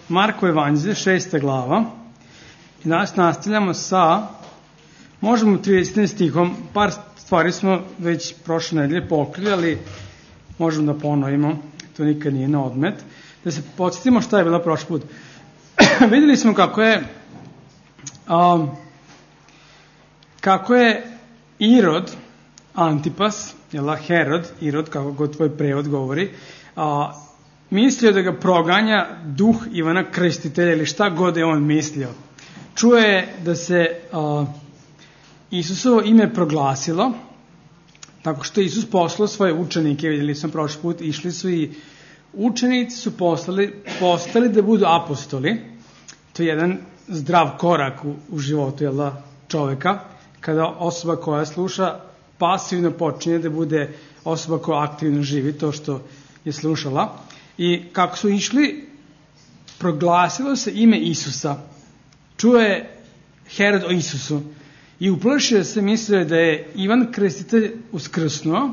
Marko evanđelje, 6. glava. I danas nastavljamo sa, možemo 30. stihom, par stvari smo već prošle nedelje pokrili, ali možemo da ponovimo, to nikad nije na odmet. Da se podsjetimo šta je bila prošli put. Vidjeli smo kako je Irod, Antipas, Herod, Irod, kako god tvoj prevod govori, mislio da ga proganja duh Ivana Krstitelja ili šta god je on mislio. Čuje da se Isusovo ime proglasilo, tako što Isus poslao svoje učenike, vidjeli smo prošli put, išli su i učenici su postali da budu apostoli. To je jedan zdrav korak u životu čoveka, kada osoba koja sluša pasivno počinje da bude osoba koja aktivno živi to što je slušala. I kako su išli, proglasilo se ime Isusa. Čuje Herod o Isusu i uplašio se, mislio da je Ivan Krstitelj uskrsnuo.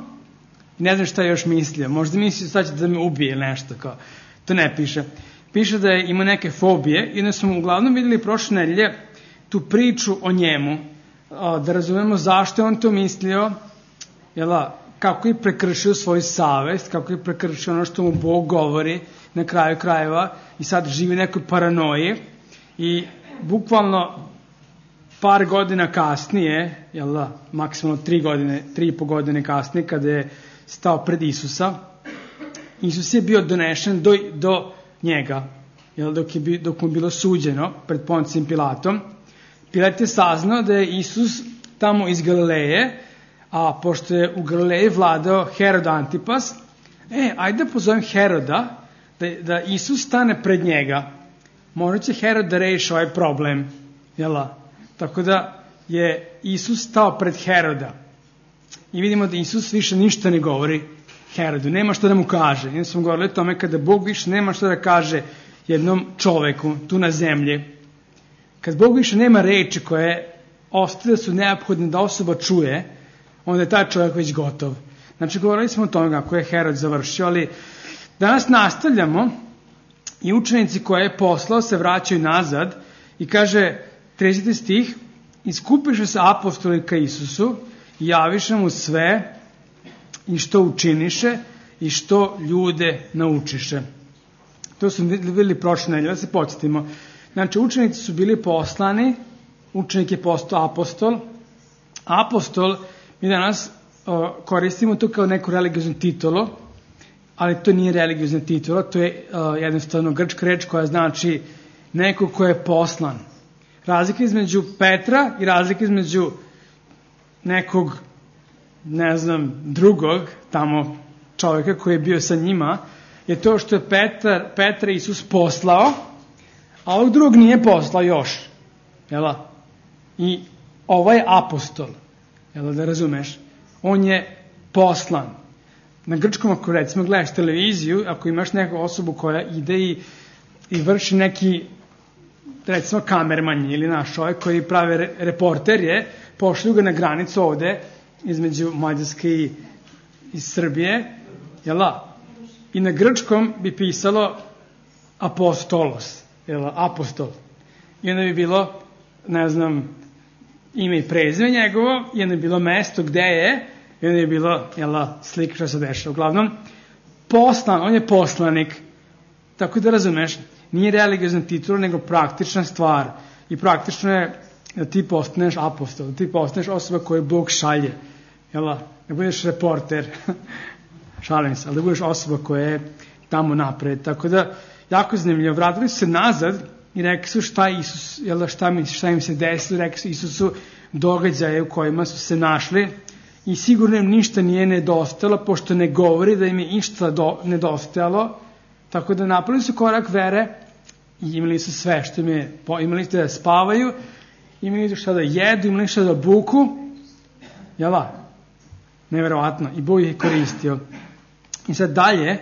Ne znam šta je još mislio. Možda mislio sad će da me ubije nešto. Kao. To ne piše. Piše da je imao neke fobije i da smo uglavnom vidjeli prošle nedelje tu priču o njemu. Da razumemo zašto je on to mislio, kako je prekršio svoju savest, kako je prekršio ono što mu Bog govori na kraju krajeva i sad živi nekoj paranoji i bukvalno par godina kasnije, maksimalno 3,5 godine kasnije, kada je stao pred Isusa, Isus je bio donešen do njega, dok mu bilo suđeno pred Poncijem Pilatom. Pilat je saznao da je Isus tamo iz Galileje, a pošto je u Galileji vladao Herod Antipas, ajde da pozovem Heroda da Isus stane pred njega. Možda će Herod da reši ovaj problem. Tako da je Isus stao pred Heroda. I vidimo da Isus više ništa ne govori Herodu. Nema što da mu kaže. Jednom smo govorili o tome kada Bog više nema što da kaže jednom čoveku tu na zemlji. Kad Bog više nema reči koje ostale su neophodne da osoba čuje, onda je taj čovjek već gotov. Znači, govorili smo o tome kako je Herod završio, ali danas nastavljamo i učenici koje je poslao se vraćaju nazad i kaže 30. stih, iskupiše se apostoli ka Isusu i javiše mu sve i što učiniše i što ljude naučiše. To smo vidjeli prošle nedelje, da se podsjetimo. Znači, učenici su bili poslani, učenik je postao apostol. Apostol, mi danas koristimo to kao neku religioznu titulu, ali to nije religiozna titula, to je jednostavno grčka reč koja znači neko ko je poslan. Razlika između Petra i razlika između nekog, drugog tamo čovjeka koji je bio sa njima, je to što je Petra Isus poslao, a ovog drugog nije poslao još. I ovaj apostol, da razumeš, on je poslan. Na grčkom, ako recimo gledaš televiziju, ako imaš neku osobu koja ide i vrši neki, recimo kamerman ili naš čovjek koji prave reporterje, pošlju ga na granicu ovde između Mađarske i Srbije, i na grčkom bi pisalo apostolos, apostol. I onda bi bilo, ime i prezime njegovo, i onda bi bilo mesto gde je, i onda je bilo, slika što se dešava. Uglavnom, poslan, on je poslanik. Tako da razumeš, nije religiozna titula, nego praktična stvar. I praktično je da ti postaneš apostol, da ti postaneš osoba koju Bog šalje. Ne budeš reporter, šalim se, ali da budeš osoba koja je tamo napred. Tako da, jako zanimljivo, vratili su se nazad i rekli su šta Isus, šta im se desilo, rekli su Isusu događaje u kojima su se našli i sigurno im ništa nije nedostajalo, pošto ne govori da im je ništa nedostajalo, tako da napravili su korak vere i imali su sve što im je, imali su da spavaju, imali su šta da jedu, imali šta da buku, neverovatno, i Bog ih je koristio. I sad dalje,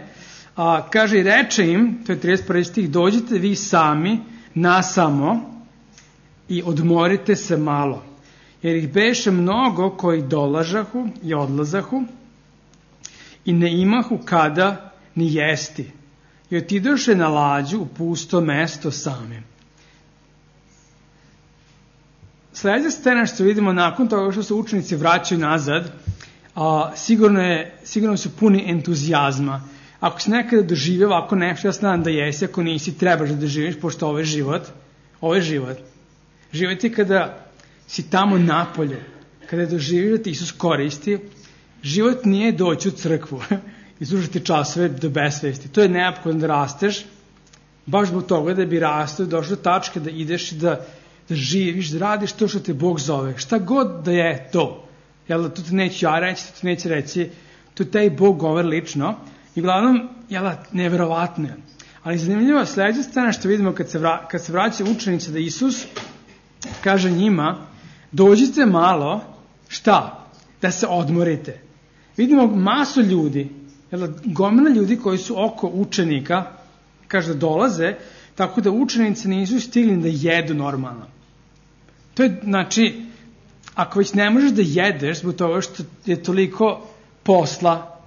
kaže i reče im, to je 31. stih, dođite vi sami nasamo i odmorite se malo, jer ih beše mnogo koji dolažahu i odlazahu i ne imahu kada ni jesti. i otidoše na lađu u pusto mesto same. Sljedeća scena što vidimo nakon toga što se učenici vraćaju nazad, sigurno su puni entuzijazma. Ako si nekada doživio ovako nešto, ja znam da jesi, ako nisi, trebaš da doživiš, pošto ovo je život. Život je kada si tamo napolju, kada doživiš da te Isus koristi. Život nije doći u crkvu i slušati časove do besvesti. To je neophodno da rasteš, baš zbog toga da bi rastao, došao do tačke da ideš i da živiš, da radiš to što te Bog zove. Šta god da je to. Jel, to te neću ja reći, to te neće reći, to taj Bog govori lično. I uglavnom, neverovatno je. Ali zanimljivo, sljedeća scena što vidimo kad se vraća učenici da Isus kaže njima, dođite malo, šta? Da se odmorite. Vidimo masu ljudi, gomila ljudi koji su oko učenika, kaže da dolaze, tako da učenici nisu stigli da jedu normalno. To je, znači, ako već ne možeš da jedeš zbog toga što je toliko posla,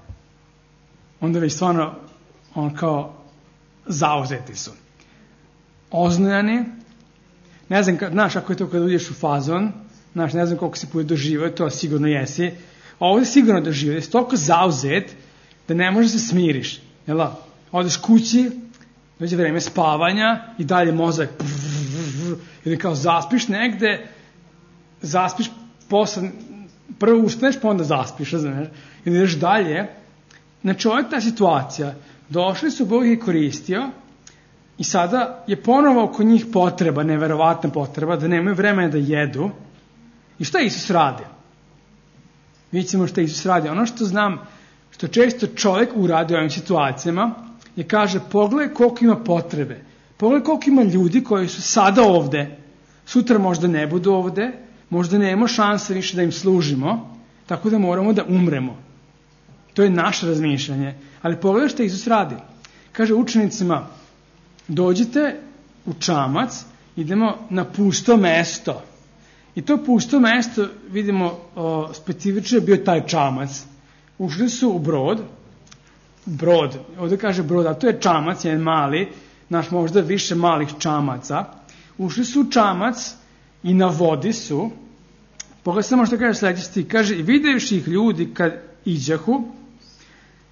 onda već stvarno kao zauzeti su. Oznojani, ne znam, znaš ako je to kada uđeš u fazon, znaš, ne znam koliko si puta doživio, to sigurno jesi, a ovdje sigurno doživio, da si toliko zauzet da ne možeš da se smiriš. Odeš kući, dođe vreme spavanja i dalje mozak ili kao zaspiš negde, zaspiš posle, prvo ustaneš pa onda zaspiš, znaš, i ideš dalje. Znači, ovo je ta situacija. Došli su, Bog je koristio i sada je ponovo oko njih potreba, neverovatna potreba, da nemaju vremena da jedu. I šta Isus radi? Vidjet ćemo šta Isus radi. Ono što znam, što često čovjek uradi u ovim situacijama, je kaže, pogledaj koliko ima potrebe. Pogledaj koliko ima ljudi koji su sada ovde, sutra možda ne budu ovde, možda nemamo šanse više da im služimo, tako da moramo da umremo. To je naše razmišljanje. Ali pogledaj što Isus radi. Kaže učenicima, dođite u čamac, idemo na pusto mesto. I to pusto mesto, vidimo, specifično je bio taj čamac. Ušli su u brod, ovdje kaže brod, a to je čamac, jedan mali, naš možda više malih čamaca. Ušli su u čamac i na vodi su. Pogledaj samo što kaže sljedeći stih. Kaže, i vidjevši ih ljudi kad iđahu,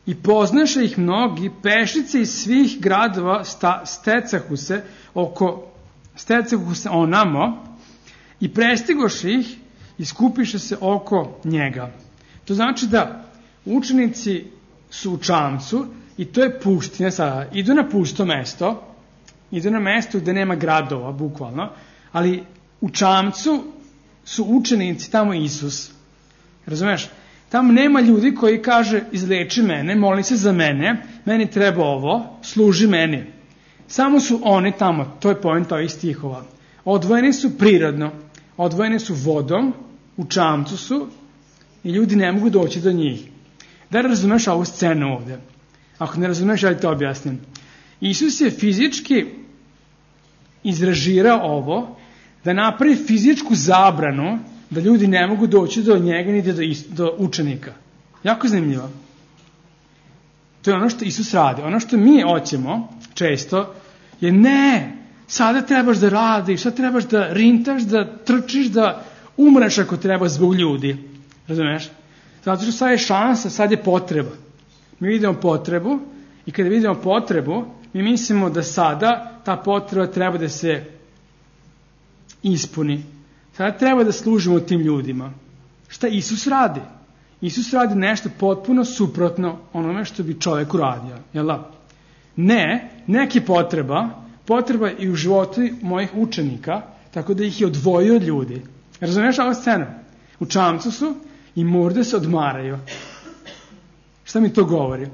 i poznaše ih mnogi, pešice iz svih gradova stecahu se onamo i prestigoše ih i skupiše se oko njega. To znači da učenici su u čamcu i to je pustinja sada. Idu na pusto mesto, idu na mesto gde nema gradova, bukvalno, ali u čamcu su učenici, tamo Isus. Razumeš? Tamo nema ljudi koji kaže, izleči mene, moli se za mene, meni treba ovo, služi meni. Samo su oni tamo, to je point ovih stihova. Odvojeni su prirodno, odvojeni su vodom, u čamcu su i ljudi ne mogu doći do njih. Da razumeš ovu scenu ovdje? Ako ne razumeš, ja ti to objasnim. Isus je fizički izrežirao ovo, da napravi fizičku zabranu da ljudi ne mogu doći do njega ni do učenika. Jako zanimljivo. To je ono što Isus radi. Ono što mi hoćemo često je ne, sada trebaš da radiš, sada trebaš da rintaš, da trčiš, da umreš ako treba zbog ljudi. Razumeš? Zato što sad je šansa, sad je potreba. Mi vidimo potrebu i kada vidimo potrebu, mi mislimo da sada ta potreba treba da se ispuni. Sada treba da služimo tim ljudima. Šta Isus radi? Isus radi nešto potpuno suprotno onome što bi čovjek uradio. Jel da? Ne, neki potreba i u životu mojih učenika, tako da ih je odvojio od ljudi. Razumiješ ovu scenu? U čamcu su i moraju se odmaraju. Šta mi to govori?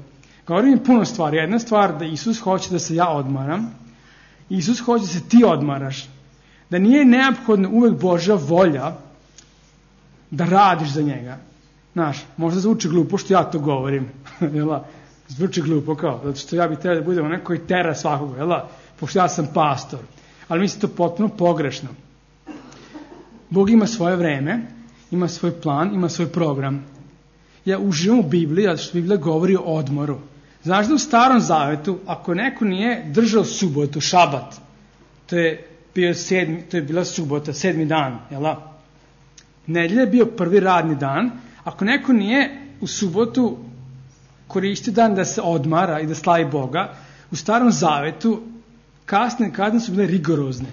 Govori mi puno stvari. Jedna stvar da Isus hoće da se ja odmaram. Isus hoće da se ti odmaraš. Da nije neophodno uvek Božja volja da radiš za njega. Znaš, možda zvuči glupo što ja to govorim. Zvuči glupo kao, zato što ja bih trebao da budem onaj koji tera svakoga, pošto ja sam pastor. Ali mislim to potpuno pogrešno. Bog ima svoje vreme, ima svoj plan, ima svoj program. Ja uživam u Bibliji, zato što Biblija govori o odmoru. Znaš da u Starom Zavetu, ako neko nije držao subotu, šabat, to je bila subota, 7. dan, jel? Nedelja je bio prvi radni dan. Ako neko nije u subotu koristio dan da se odmara i da slavi Boga, u Starom Zavetu kazne su bile rigorozne.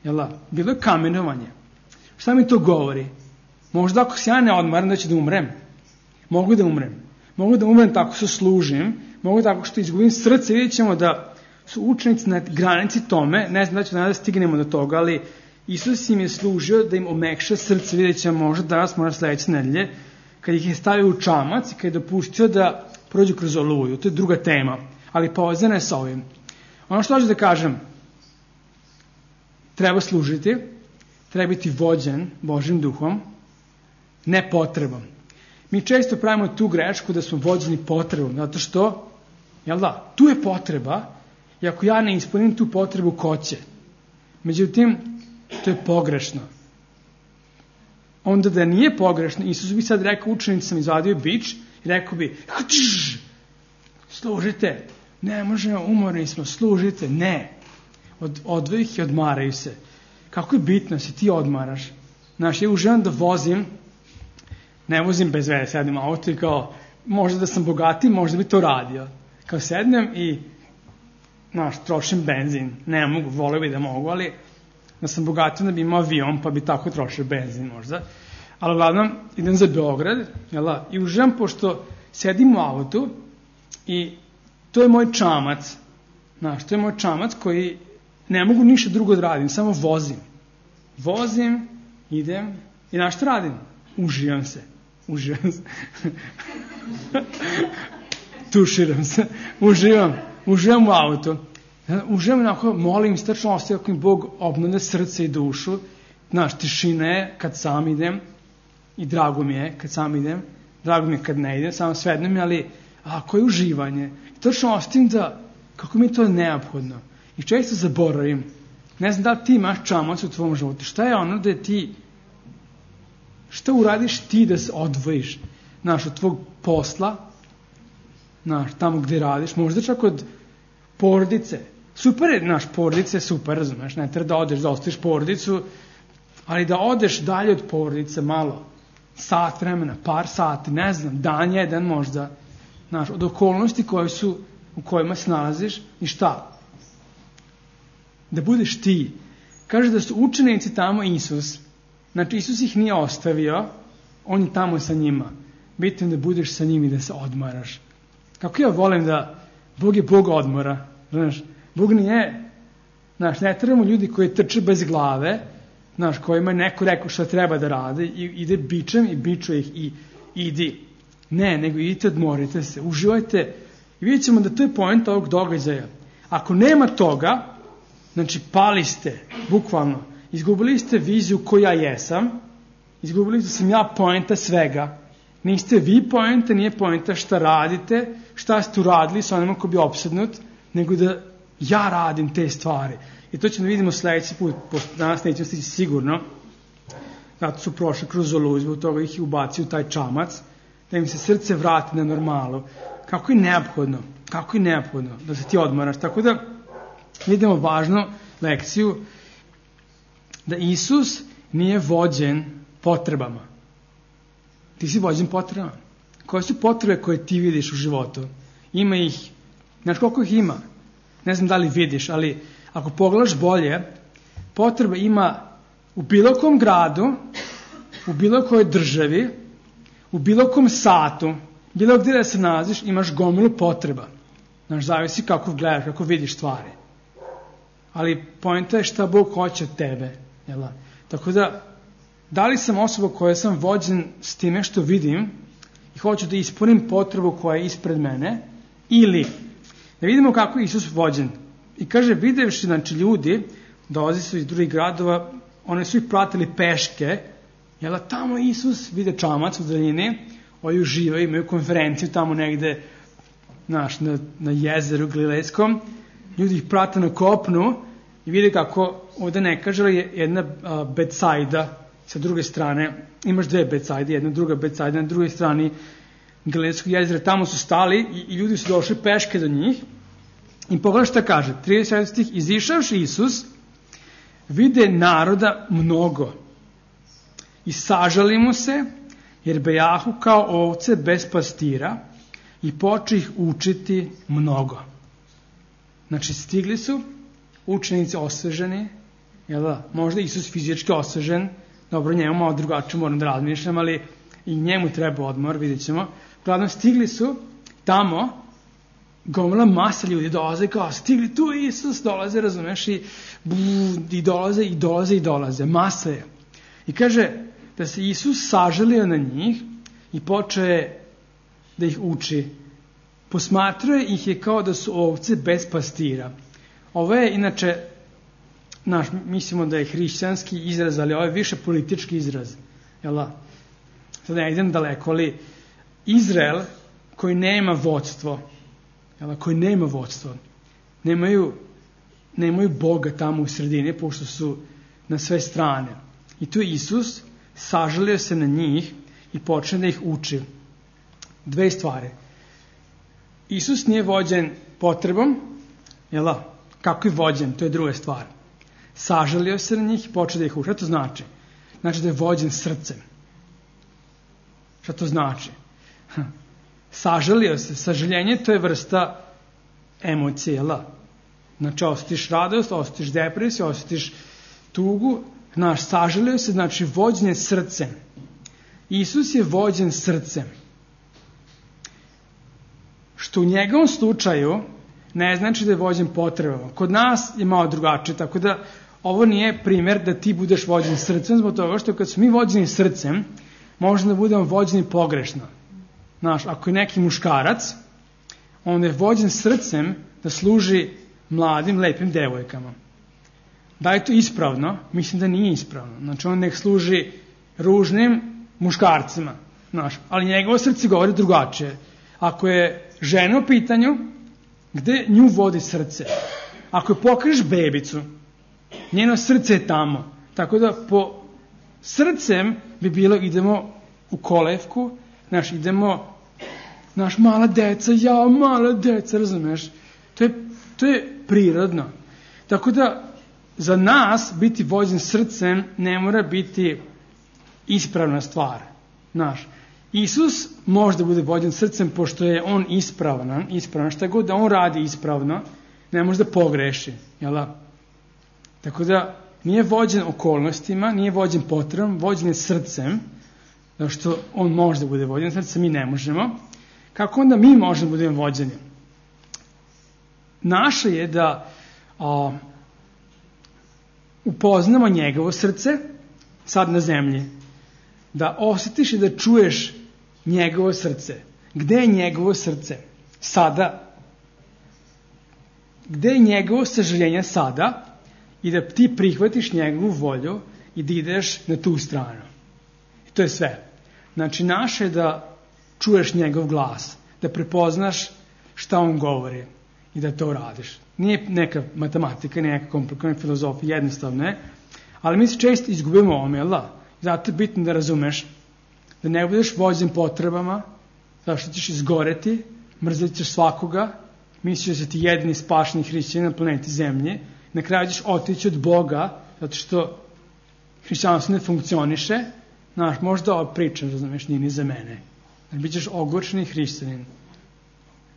Jel? Bilo je kamenovanje. Šta mi to govori? Možda ako se ja ne odmaram da ću da umrem. Mogu da umrem. Mogu da umrem tako što služim, mogu tako što izgubim srce. Vidjet ćemo da su učenici na granici tome, ne znam da ćemo da stignemo do toga, ali Isus im je služio da im omekša srce. Vidjet ćemo možda danas, možda sledeće nedelje, kad ih je stavio u čamac i kad je dopustio da prođu kroz oluju. To je druga tema, ali povezana je sa ovim. Ono što hoću da kažem, treba služiti, treba biti vođen Božjim duhom, ne potrebom. Mi često pravimo tu grešku da smo vođeni potrebom, zato što, jel da, tu je potreba, i ako ja ne ispunim tu potrebu, ko će? Međutim, to je pogrešno. Onda da nije pogrešno, Isus bi sad rekao učenicima, izvadio bič i rekao bi, služite, ne možemo, umorni smo, služite, ne. Odvoji ih i odmaraju se. Kako je bitno se ti odmaraš? Znaš, ja uživam da vozim, ne vozim bez veze, sedim u auto i kao, možda da sam bogatiji, možda bi to radio. Kao sednem i, znaš, trošim benzin. Ne mogu, volio bi da mogu, ali da sam bogatiji, da bi imao avion, pa bi tako trošio benzin možda. Ali uglavnom, idem za Beograd, i uživam pošto sedim u autu i to je moj čamac. Znaš, to je moj čamac koji ne mogu ništa drugo da radim, samo vozim. Vozim, idem i znaš što radim? Uživam se. Tuširam se. Uživam u autu. Uživam onako, molim, strašno ostaje kako mi Bog obnove srce i dušu. Znaš, tišina je kad sam idem i drago mi je kad sam idem. Drago mi je kad ne idem, samo svedno mi, ali koje uživanje. I strašno ostavim da, kako mi je to neophodno. I često zaboravim. Ne znam da li ti imaš čamac u tvom životu. Šta je ono da ti, šta uradiš ti da se odvojiš, znaš, od tvog posla, znaš, tamo gde radiš, možda čak od porodice. Super je, znaš, porodice je super, razumeš, ne treba da odeš, da ostaviš porodicu, ali da odeš dalje od porodice malo, sat vremena, par sati, ne znam, dan jedan možda, znaš, od okolnosti u kojima se nalaziš i šta? Da budeš ti. Kaže da su učenici tamo Isus. Znači, Isus ih nije ostavio, on je tamo sa njima. Bitno je da budeš sa njim i da se odmaraš. Kako ja volim da Bog je Bog odmora. Znaš, Bog nije, znaš, ne trebamo ljudi koji trče bez glave, znaš, kojima je neko rekao šta treba da rade i ide bičem i bičuje ih i idi. Ne, nego idite, odmorite se, uživajte. I vidjet ćemo da to je poenta ovog događaja. Ako nema toga, znači pali ste, bukvalno, izgubili ste viziju ko ja jesam, izgubili ste da sam ja poenta svega. Niste vi poenta, nije poenta šta radite, šta ste uradili sa onima ko bi opsednut, nego da ja radim te stvari. I to ćemo da vidimo sledeći put, pošto danas nećemo stići sigurno, zato su prošli kroz oluju, zbog toga ih ubacio u taj čamac, da im se srce vrati na normalu. Kako je neophodno da se ti odmaraš. Tako da vidimo važnu lekciju da Isus nije vođen potrebama. Ti si vođen potrebama. Koje su potrebe koje ti vidiš u životu? Ima ih, znaš koliko ih ima? Ne znam da li vidiš, ali ako pogledaš bolje, potrebe ima u bilo kom gradu, u bilo kojoj državi, u bilo kom satu, bilo gdje da se nalaziš, imaš gomilu potreba. Znaš, zavisi kako gledaš, kako vidiš stvari. Ali poenta je šta Bog hoće od tebe. Jel? Tako da li sam osoba koja sam vođen s time što vidim i hoću da ispunim potrebu koja je ispred mene, ili da vidimo kako je Isus vođen. I kaže, videvši, znači ljudi, dolazi su iz drugih gradova, oni su ih pratili peške, jel, tamo Isus vide čamac u daljini, ovi uživaju, imaju konferenciju tamo negde, znaš, na jezeru Galilejskom, ljudi ih prate na kopnu i vide kako, ovde ne kaže, je jedna Betsajda sa druge strane, imaš dve Betsajde, jedna druga Betsajda, na drugoj strani Galilejskog jezera, tamo su stali i ljudi su došli peške do njih. I pogledaj šta kaže, 30 stih, izišavši Isus, vide naroda mnogo i sažali mu se, jer bejahu kao ovce bez pastira i poče ih učiti mnogo. Znači, stigli su učenici osveženi, jel da? Možda Isus fizički osvežen, dobro, njemu malo drugačije moram da razmišljam, ali i njemu treba odmor, vidjet ćemo. Uglavnom, stigli su tamo, gomila masa ljudi dolaze, kao stigli tu Isus, dolaze, razumeš, i dolaze, masa je. I kaže da se Isus sažalio na njih i počeo da ih uči. Posmatruje ih je kao da su ovce bez pastira. Ovo je, inače, mislimo da je hrišćanski izraz, ali ovo je više politički izraz. Jel? Sad ne idem daleko, ali Izrael koji nema vodstvo, nemaju Boga tamo u sredini, pošto su na sve strane. I tu je Isus sažalio se na njih i počne da ih uči. Dve stvari. Isus nije vođen potrebom, jel da? Kako je vođen, to je druga stvar. Sažalio se na njih i počne da ih uči. Šta to znači? Znači da je vođen srcem. Šta to znači? Sažalio se. Sažaljenje, to je vrsta emocije, jel da? Znači, osjetiš radost, osjetiš depresiju, osjetiš tugu. Znaš, sažalio se, znači vođen je srcem. Isus je vođen srcem. Što u njegovom slučaju ne znači da je vođen potrebama. Kod nas je malo drugačije, tako da ovo nije primjer da ti budeš vođen srcem, zbog toga što kad smo mi vođeni srcem, možemo da budemo vođeni pogrešno. Znaš, ako je neki muškarac, onda je vođen srcem da služi mladim, lepim devojkama. Da je to ispravno? Mislim da nije ispravno. Znači, on nek služi ružnim muškarcima. Znaš, ali njegovo srce govori drugačije. Ako je žena u pitanju, gde nju vodi srce? Ako je pokriješ bebicu, njeno srce je tamo. Tako da po srcem bi bilo idemo u kolevku, znaš, idemo, znaš, mala deca, razumeš? To je prirodno. Tako da za nas biti vođen srcem ne mora biti ispravna stvar. Znaš, Isus može da bude vođen srcem pošto je on ispravan, šta god da on radi ispravno, ne može da pogreši. Jel? Tako da nije vođen okolnostima, nije vođen potrebom, vođen je srcem, zato što on može da bude vođen srcem, mi ne možemo. Kako onda mi možemo da budemo vođeni? Naše je da upoznamo njegovo srce sad na zemlji, da osjetiš i da čuješ njegovo srce. Gde je njegovo srce? Sada. Gde je njegovo sažaljenje sada i da ti prihvatiš njegovu volju i da ideš na tu stranu. I to je sve. Znači, naše je da čuješ njegov glas, da prepoznaš šta on govori i da to radiš. Nije neka matematika, nije neka komplikovana filozofija, jednostavno je, ali mi se često izgubimo ovome, jel da? Zato je bitno da razumeš da ne budeš vođen potrebama, zašto ćeš izgoreti, mrzit ćeš svakoga, misliš da si ti jedini spašeni hrišćanin na planeti Zemlje, na kraju ćeš otići od Boga, zato što hrišćanstvo ne funkcioniše, znaš, možda ova priča, razumeš, nije ni za mene. Znači, bit ćeš ogorčeni hrišćanin.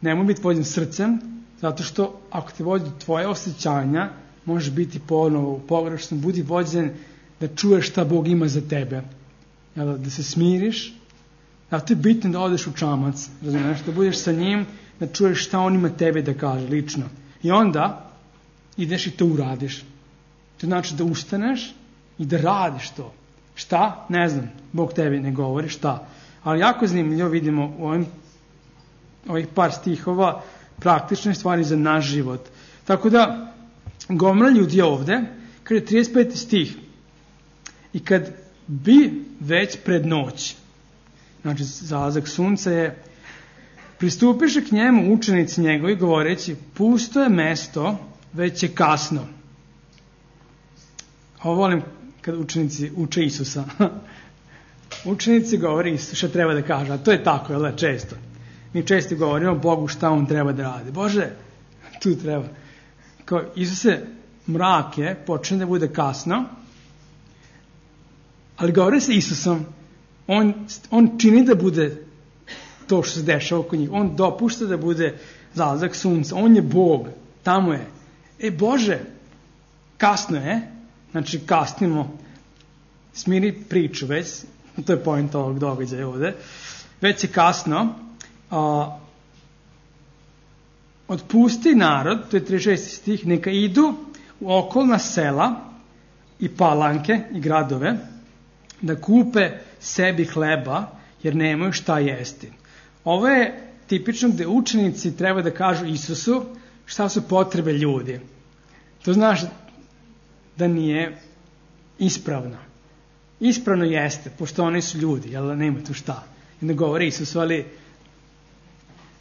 Nemoj biti vođen srcem, zato što ako te vodi tvoje osjećanja, možeš biti ponovo pogrešno, budi vođen da čuješ šta Bog ima za tebe. Da se smiriš, zato je bitno da odeš u čamac, razumiješ, da budeš sa njim, da čuješ šta on ima tebe da kaže, lično. I onda ideš i to uradiš. To znači da ustaneš i da radiš to. Šta? Ne znam, Bog tebi ne govori šta. Ali jako zanimljivo vidimo u ovih par stihova praktične stvari za naš život. Tako da, gomila ljudi ovde, kada je 35. stih, i kad bi već pred noć, znači zalazak sunca je, pristupiše k njemu učenici njegovi govoreći, pusto je mesto, već je kasno. Ovo volim kad učenici uče Isusa. učenici govore Isus šta treba da kaže, a to je tako, jel, često. Mi često govorimo Bogu šta on treba da radi. Bože, tu treba. Kao Isuse, mrak je, počne da bude kasno, ali govore sa Isusom, on čini da bude to što se dešava oko njih. On dopušta da bude zalazak sunca. On je Bog. Tamo je. Bože, kasno je. Znači, kasnimo. Smiri priču već. To je point ovog događaja ovde. Već je kasno. Otpusti narod, to je 36. stih, neka idu u okolna sela i palanke i gradove da kupe sebi hleba, jer nemaju šta jesti. Ovo je tipično gde učenici treba da kažu Isusu šta su potrebe ljudi. To znaš da nije ispravno. Ispravno jeste, pošto oni su ljudi, jel, nema tu šta. I ne govori Isusu, ali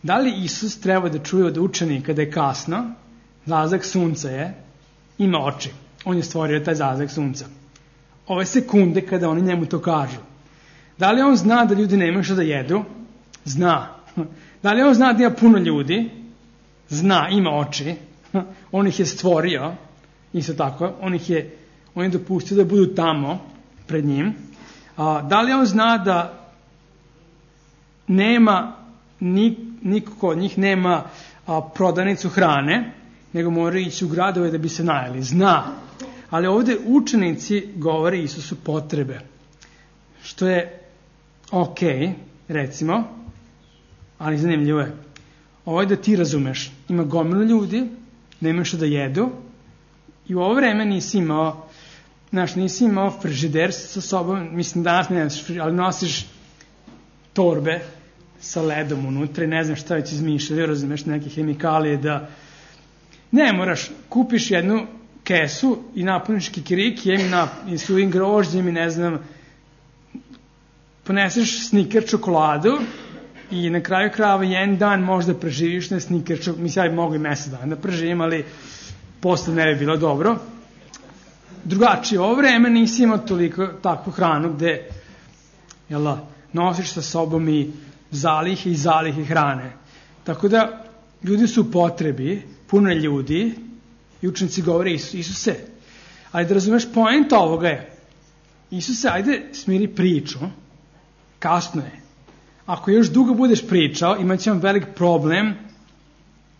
da li Isus treba da čuje od učenika da je kasno, zalazak sunca je, ima oči. On je stvorio taj zalazak sunca. Ove sekunde kada oni njemu to kažu. Da li on zna da ljudi nemaju što da jedu? Zna. Da li on zna da ima puno ljudi? Zna, ima oči. On ih je stvorio. Isto tako. On je dopustio da budu tamo pred njim. Da li on zna da nema niko kod njih nema prodavnicu hrane, nego moraju ići u gradove da bi se najeli. Zna. Ali ovde učenici govore Isusu potrebe. Što je okej, recimo, ali zanimljivo je. Ovo je da ti razumeš. Ima gomilu ljudi, nema što da jedu i u ovo vreme nisi imao frižider sa sobom, mislim danas ne nosiš frižider, ali nosiš torbe sa ledom unutra i ne znam šta već izmišljaju, razumeš, neke hemikalije da ne moraš, kupiš jednu kesu i napuniš kikirikijem i suvim grožđem i ne znam, poneseš Snicker čokoladu i na kraju krajeva jedan dan možda preživiš na Snicker čokoladu, mislim ja bi mogu i mesec dana da preživim, ali posle ne bi bilo dobro. Drugačije, ovo vreme nisi imao toliko takvu hranu gde nosiš sa sobom i zalihe hrane. Tako da ljudi su u potrebi, puno je ljudi i učenici govore Isuse. Ali da razumeš, point ovoga je Isuse, ajde smiri priču, kasno je. Ako još dugo budeš pričao, imat ćemo velik problem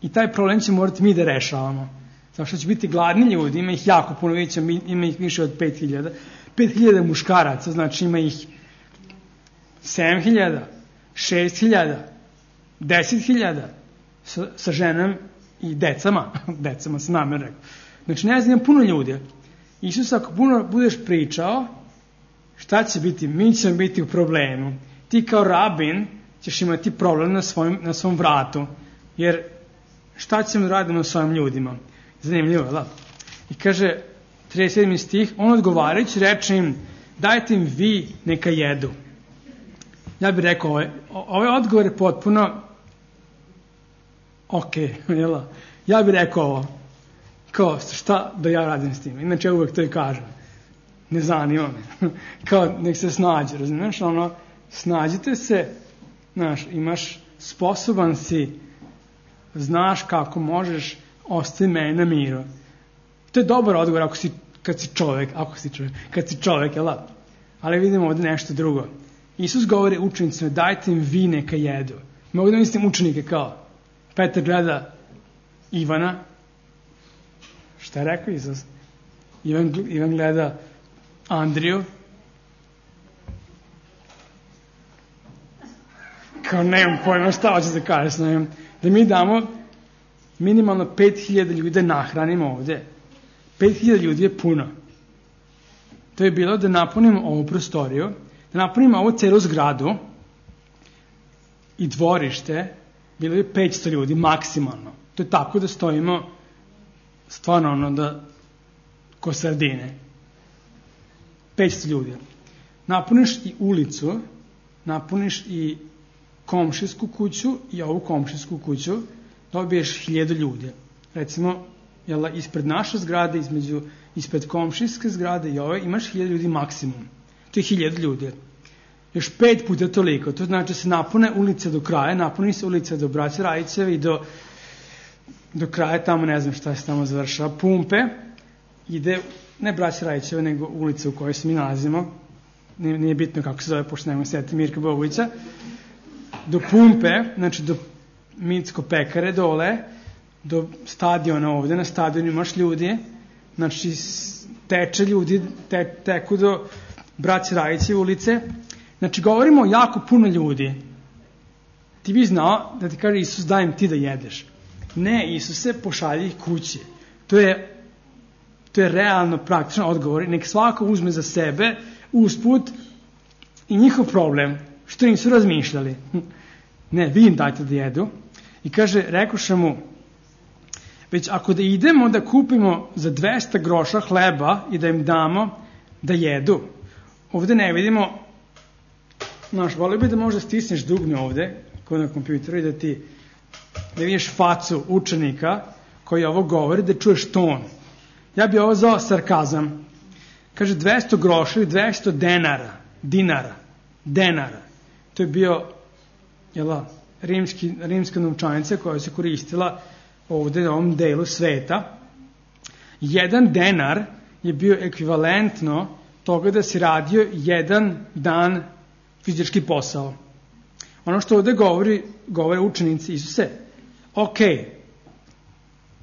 i taj problem će morati mi da rešavamo. Zato što će biti gladni ljudi, ima ih jako puno, ima ih više od 5000. 5000 muškaraca, znači ima ih 7000, 6000, 10.000 sa ženom i decama se namjerno rekao. Znači ne znam, puno ljudi. Isus, ako puno budeš pričao, šta će biti? Mi ćemo biti u problemu. Ti kao rabin ćeš imati problem na svom vratu, jer šta ćemo raditi s ovim ljudima? Zanimljivo, da? I kaže, 37. stih, on odgovarajući reče im, dajte im vi neka jedu. Ja bih rekao, ovaj odgovor je potpuno jel? Ja bih rekao ovo, kao šta da ja radim s tim? Inače ja uvek to i kažem. Ne zanima me. Kao nek se snađe, razumiješ? Snađite se, imaš, sposoban si, znaš kako možeš, ostavi mene na miru. To je dobar odgovor kad si čovek, jel? Ali vidimo ovdje nešto drugo. Isus govori učenicima, dajte im vi neka jedu. Mogu da mislim učenike kao Petar gleda Ivana. Šta je rekao Isus? Ivan gleda Andriju. Kao nemam pojma šta hoće da kaže. Da mi damo minimalno 5000 ljudi da nahranimo ovde. 5000 ljudi je puno. To je bilo da napunimo ovu prostoriju, da napunimo ovu celu zgradu i dvorište, bilo je 500 ljudi maksimalno. To je tako da stojimo stvarno ko sardine. 500 ljudi. Napuniš i ulicu, napuniš i komšijsku kuću i ovu komšijsku kuću, dobiješ 1000 ljudi. Recimo, ispred naše zgrade, ispred komšijske zgrade i ove, imaš 1000 ljudi maksimum. To je 1000 ljudi. još 5 puta toliko. To znači se napune ulice do kraja, napuni se ulica do Braće Rajiceve i do kraja tamo, ne znam šta se tamo završava, Pumpe, ide, ne Braće Rajiceve, nego ulica u kojoj se mi nalazimo, nije bitno kako se zove, pošto nemoj sjeti Mirka Bogovića, do Pumpe, znači do Micko Pekare dole, do stadiona ovde, na stadionu imaš ljudi, znači teče ljudi, teku do Braće Rajice ulice, znači govorimo o jako puno ljudi. Ti bi znao da ti kaže Isus dajem ti da jedeš. Ne, Isuse, pošalji ih kući. To je realno praktično odgovor. Nek svako uzme za sebe usput i njihov problem, što nisu razmišljali. Ne, vi im dajte da jedu. I kaže, rekoše mu, već ako da idemo da kupimo za 200 groša hleba i da im damo da jedu. Ovde ne vidimo, volio bi da možda stisneš dugme ovde, kod na kompjuteru i da vidiš facu učenika koji ovo govori, da čuješ ton. Ja bi ovo zvao sarkazam. Kaže 200 groša ili 200 denara. To je bio rimska novčanica koja se koristila ovde na ovom delu sveta. 1 denar je bio ekvivalentno toga da si radio 1 dan fizički posao. Ono što ovde govore učenici Isuse,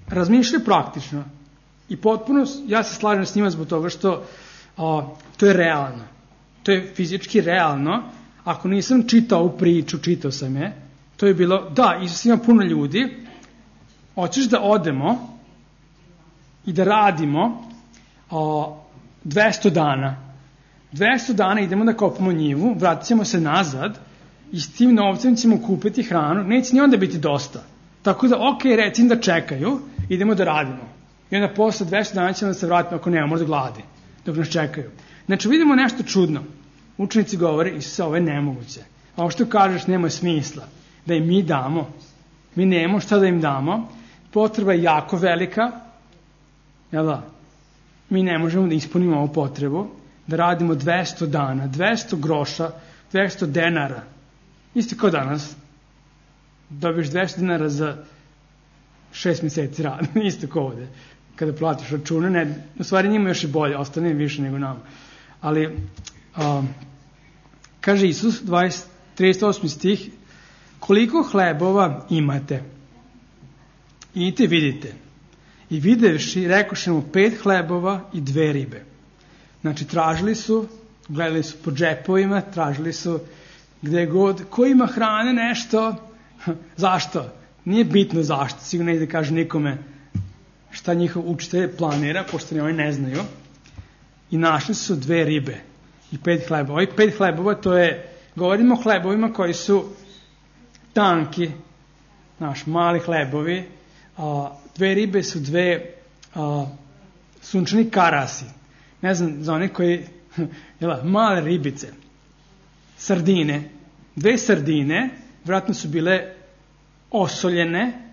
razmišljaju praktično i potpuno, ja se slažem s njima zbog toga što to je realno. To je fizički realno. Ako nisam čitao ovu priču, čitao sam je, to je bilo, da, Isus ima puno ljudi, hoćeš da odemo i da radimo 200 dana. 200 dana idemo da kopamo njivu, vratit ćemo se nazad i s tim novcem ćemo kupiti hranu, neće ni onda biti dosta. Tako da, recim da čekaju, idemo da radimo. I onda posle 200 dana ćemo da se vratimo ako nema možda gladi, dok nas čekaju. Znači, vidimo nešto čudno. Učenici govore, Isuse, ovo je nemoguće. A ovo što kažeš nema smisla. Da im mi damo. Mi nemamo šta da im damo. Potreba je jako velika. Jel da? Mi ne možemo da ispunimo ovu potrebu. Da radimo 200 dana, 200 groša, 200 denara. Isto kao danas. Dobiješ 200 dinara za 6 mjeseci rada. Isto kao ovde. Kada platiš račune, u stvari njima još i bolje, ostane više nego nama. Ali, kaže Isus, 38. stih, koliko hlebova imate? Idite vidite. I videvši, rekoše mu 5 hlebova i 2 ribe. Znači, tražili su, gledali su po džepovima, tražili su gde god, ko ima hrane, nešto. Zašto? Nije bitno zašto, sigurno ne da kaže nikome šta njihov učitelj planira, pošto ni oni ne znaju. I našli su 2 ribe i 5 hlebova. Ovih 5 hlebova, to je, govorimo o hlebovima koji su tanki, mali hlebovi. 2 ribe su 2 sunčani karasi. Ne znam, za one koji, male ribice, sardine. 2 sardine, vjerojatno su bile osoljene.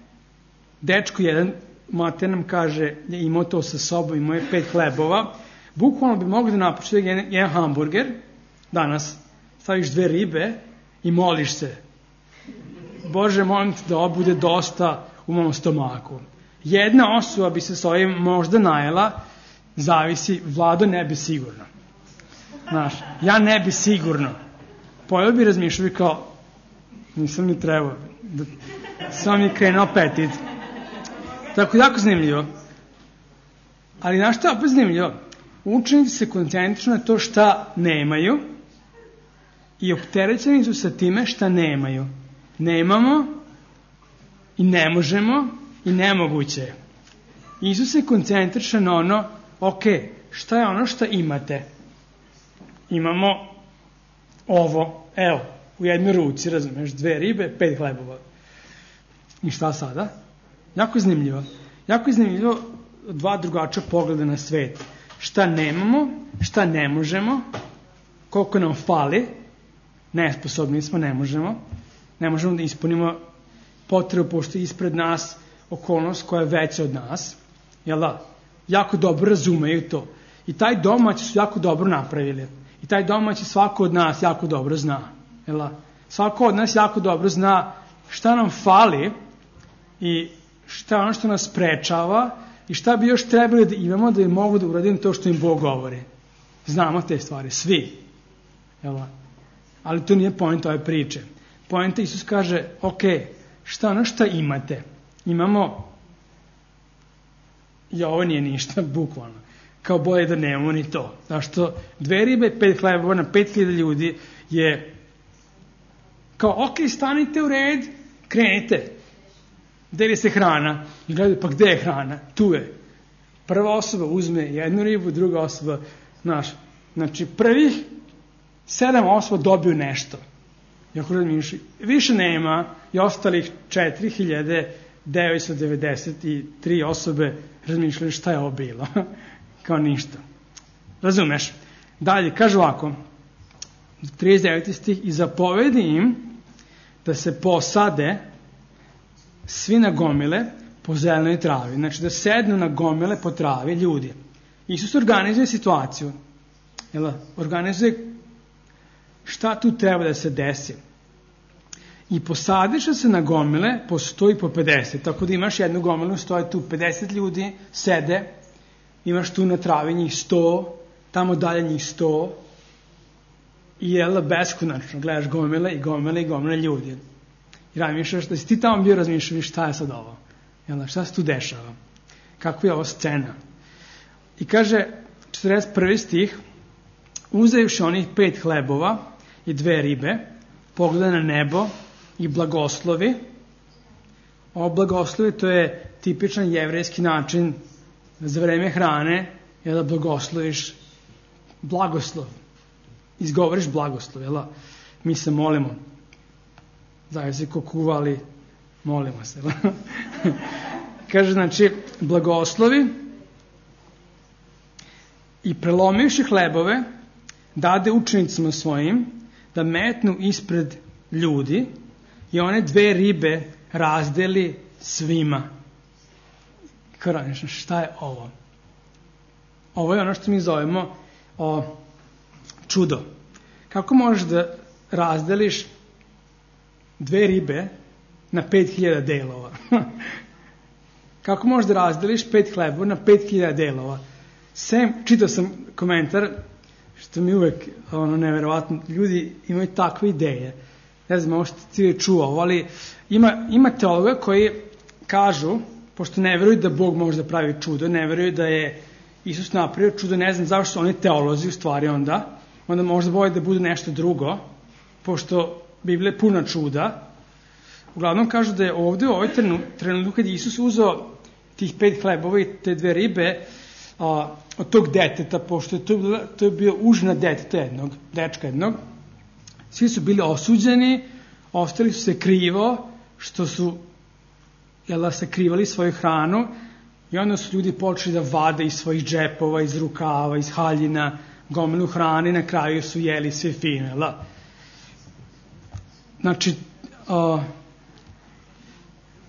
Dečko jedan, Matej nam kaže, je imao to sa sobom, imao je 5 hlebova. Bukvalno bi mogli da napušiti jedan hamburger, danas staviš 2 ribe i moliš se. Bože, molim te da ovo bude dosta u mom stomaku. Jedna osoba bi se s ovim možda najela, zavisi, Vlado ne bi sigurno. Ja ne bi sigurno. Pojel bi razmišljali kao, nisam ni trebao, sam mi krenuo apetit. Tako jako zanimljivo. Ali znaš što je opet zanimljivo? Učenici se koncentrišu na to šta nemaju i opterećeni su sa time šta nemaju. Nemamo i ne možemo i nemoguće je. Isus se koncentriše na ono, šta je ono što imate? Imamo ovo, evo, u jednoj ruci, razumeš, 2 ribe, 5 hlebova. I šta sada? Jako je zanimljivo. Jako je zanimljivo 2 drugačija pogleda na svet. Šta nemamo, šta ne možemo, koliko nam fali, nesposobni smo, ne možemo da ispunimo potrebu, pošto je ispred nas okolnost koja je veća od nas, jel da? Jako dobro razumeju to. I taj domaći su jako dobro napravili. I taj domaći svako od nas jako dobro zna. Svako od nas jako dobro zna šta nam fali i šta ono što nas sprečava i šta bi još trebali da imamo da bi mogu da uradim to što im Bog govori. Znamo te stvari, svi. Ali to nije point ove priče. Point Isus kaže, ok, šta ono šta imate? Imamo, i ovo nije ništa, bukvalno. Kao bolje da nemamo ni to. Zašto 2 ribe, 5 hlebova na 5000 ljudi je kao, ok, stanite u red, krenite. Deli se hrana. I gledaju, pa gde je hrana? Tu je. Prva osoba uzme 1 ribu, druga osoba, znači prvih 7 osoba dobiju nešto. I ako razmišljaju, više nema i ostalih 4993 osobe razmišljaju šta je ovo bilo. Kao ništa. Razumeš? Dalje, kaže ovako, 39. stih, i zapovedi im da se posade svi na gomile po zelenoj travi. Znači da sednu na gomile po travi ljudi. Isus organizuje situaciju. Organizuje šta tu treba da se desi. I posadiš se na gomile po 100 i po 50. Tako da imaš jednu gomilu, stoje tu 50 ljudi, sede, imaš tu na travi njih 100, tamo dalje njih 100 i beskonačno gledaš gomile i gomile i gomile ljudi. I razmišljaš, da si ti tamo bio razmišljaš šta je sad ovo? Šta se tu dešava? Kakva je ovo scena? I kaže 41. stih, uzevši onih 5 hlebova i 2 ribe, pogleda na nebo i blagoslovi. Ovo blagoslovi, to je tipičan jevrejski način za vreme hrane, je da blagosloviš blagoslov. Izgovoriš blagoslov, mi se molimo. Zavisno ko kuva, ali molimo se. Kaže, znači, blagoslovi i prelomivši hlebove, dade učenicima svojim da metnu ispred ljudi i one 2 ribe razdeli svima. Šta je ovo? Ovo je ono što mi zovemo čudo. Kako možeš da razdeliš 2 ribe na 5000 delova? Kako možeš da razdeliš 5 hlebova na 5000 delova? Čitao sam komentar, što mi uvek neverovatno, ljudi imaju takve ideje. Ne znam, ovo što ti je čuo, ali ima teologa koji kažu, pošto ne veruju da Bog može da pravi čudo, ne veruju da je Isus napravio čudo, ne znam zašto su oni teolozi u stvari onda možda bolje da bude nešto drugo, pošto Biblija je puna čuda. Uglavnom kažu da je ovdje u ovoj trenutku kad je Isus uzeo tih 5 hlebova i te 2 ribe od tog deteta, pošto to je bio užina deteta dečka jednog, svi su bili osuđeni, ostali su se krivo, što su sakrivali svoju hranu i onda su ljudi počeli da vade iz svojih džepova, iz rukava, iz haljina, gomilu hrane i na kraju su jeli sve fino. Znači,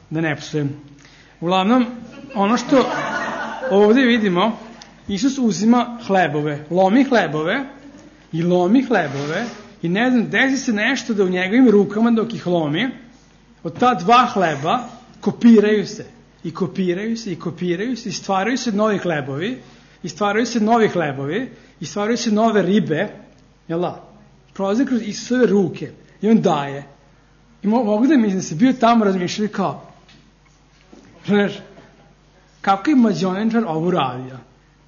da ne psujem. Uglavnom, ono što ovdje vidimo, Isus uzima hlebove, lomi hlebove i ne znam, desi se nešto da u njegovim rukama dok ih lomi, od ta 2 hleba kopiraju se i stvaraju se novi hlebovi i stvaraju se nove ribe, prolaze kroz Isusove ruke i on daje. I mogu da mislim da se bio tamo razmišljali kao, kako je mađionenčar ovo radio?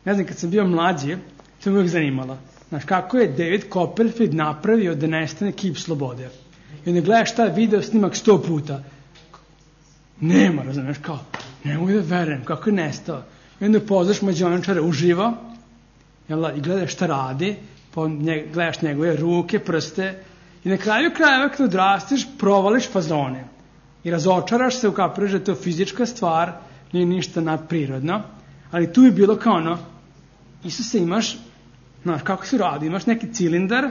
Ne znam, kad sam bio mlađi, to me uvijek zanimalo. Kako je David Copperfield napravio da nestane kip slobode? I onda gledaš taj video snimak 100 puta. Nema, razumiješ, kao, ne mogu da verujem, kako je nestao. I onda poznaš mađionenčara uživo, i gledaš šta radi, gledaš njegove ruke, prste, i na kraju krajeva kad odrastiš, provališ fazone. I razočaraš se, ukapiraš da je to fizička stvar, nije ništa nadprirodno, ali tu je bilo kao Isuse, imaš, kako se radi, imaš neki cilindar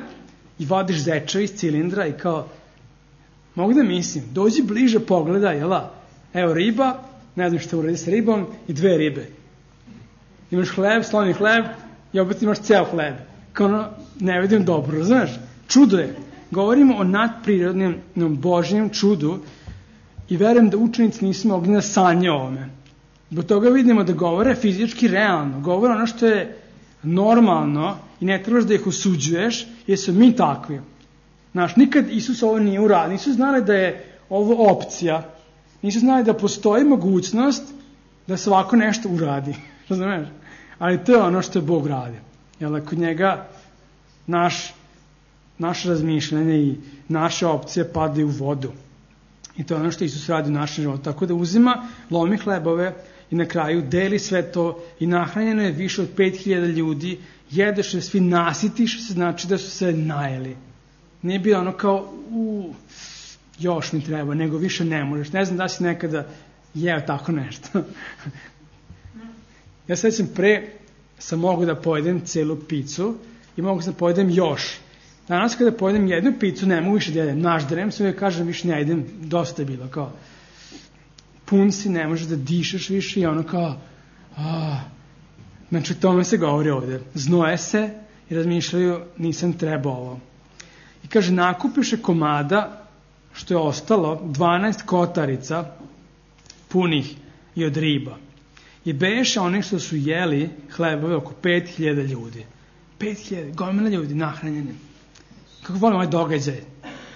i vadiš zeča iz cilindra i kao, mogu da mislim, dođi bliže, pogledaj, evo riba, ne znam što uradi sa ribom, i 2 ribe. Imaš hleb, sloni hleb i opet imaš ceo hleb. kao ne vidim dobro, znaš, čudo je. Govorimo o nadprirodnom Božjem čudu i verujem da učenici nisu mogli da sanje o ovome. Zbog toga vidimo da govore fizički realno, govore ono što je normalno i ne trebaš da ih osuđuješ, jer su mi takvi. Znaš, nikad Isus ovo nije uradio, nisu znali da je ovo opcija, nisu znali da postoji mogućnost da se ovako nešto uradi, razumiješ? Ali to je ono što je Bog radi. Jer kod njega naše razmišljanje i naše opcije padaju u vodu. I to je ono što Isus radi u našem životu. Tako da uzima, lomi hlebove i na kraju deli sve to i nahranjeno je više od 5000 ljudi, jedeš se, svi nasitiš se, znači da su se najeli. Nije bilo ono kao, još mi treba, nego više ne možeš. Ne znam da si nekada jeo tako nešto. Ja sećam sam mogu da pojedem celu picu i mogu da pojedem još. Danas kada pojedem jednu picu, ne mogu više da jedem. Nažderem se uvijek kažem, više ne jedem, dosta je bilo. Kao, pun si, ne možeš da dišeš više i ono kao, znači tome se govori ovdje. Znoje se i razmišljaju, nisam trebao ovo. I kaže, nakupiše komada, što je ostalo, 12 kotarica punih i od riba. I beše onih što su jeli hlebove oko 5000 ljudi. 5000, gomila ljudi nahranjeni. Kako volim ovaj događaj?